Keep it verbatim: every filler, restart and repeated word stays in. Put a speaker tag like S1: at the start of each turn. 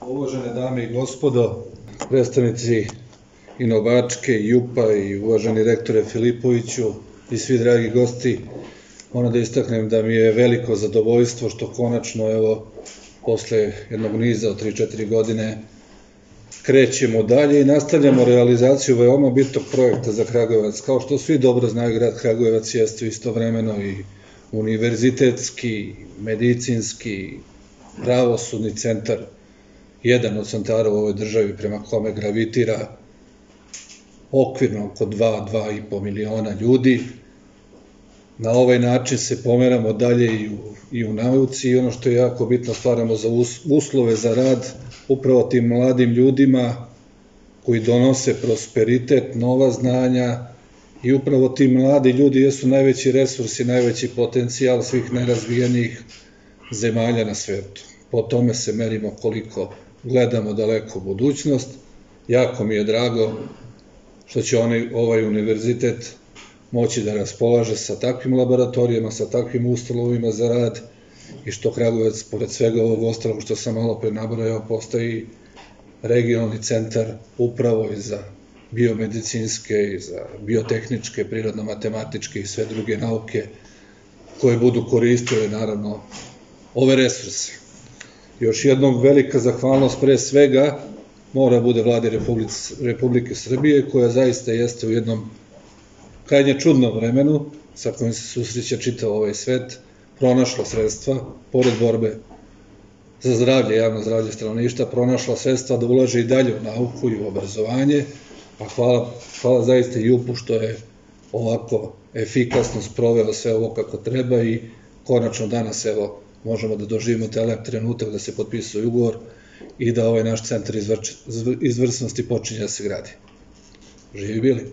S1: Uvažene dame i gospodo, predstavnici Inovačke, J U P-a i uvaženi rektore Filipoviću i svi dragi gosti, moram da istaknem da mi je veliko zadovoljstvo što konačno, evo, posle jednog niza od tri četiri godine krećemo dalje i nastavljamo realizaciju veoma bitnog projekta za Kragujevac. Kao što svi dobro znaju, grad Kragujevac jeste istovremeno i univerzitetski, medicinski, pravosudni centar, jedan od centara u ovoj državi prema kome gravitira okvirno oko dva do dva i po miliona ljudi. Na ovaj način se pomeramo dalje i u nauci i ono što je jako bitno, stvaramo za uslove za rad upravo tim mladim ljudima koji donose prosperitet, nova znanja i upravo ti mladi ljudi jesu najveći resurs i najveći potencijal svih najrazvijenijih zemalja na svetu. Po tome se merimo koliko gledamo daleko u budućnost. Jako mi je drago što će ovaj univerzitet moći da raspolaže sa takvim laboratorijama, sa takvim uslovima za rad i što Kragujevac, pored svega ovog ostalog što sam malo pre nabrojao, postaje regionalni centar upravo i za biomedicinske i za biotehničke, prirodno-matematičke i sve druge nauke koje budu koristile, naravno, ove resurse. Još jednom velika zahvalnost pre svega mora bude vladi Republike Srbije, koja zaista jeste u jednom krajnje čudnom vremenu sa kojim se susreće čitav ovaj svet, pronašla sredstva, pored borbe za zdravlje, javno zdravlje stanovništva, pronašla sredstva da ulaže i dalje u nauku i u obrazovanje, a hvala zaista J U P-u što je ovako efikasno sproveo sve ovo kako treba i konačno danas, evo, možemo da doživimo taj lep trenutak da se potpisuje ugovor i da ovaj naš centar izvrsnosti počinje da se gradi. Živi bili!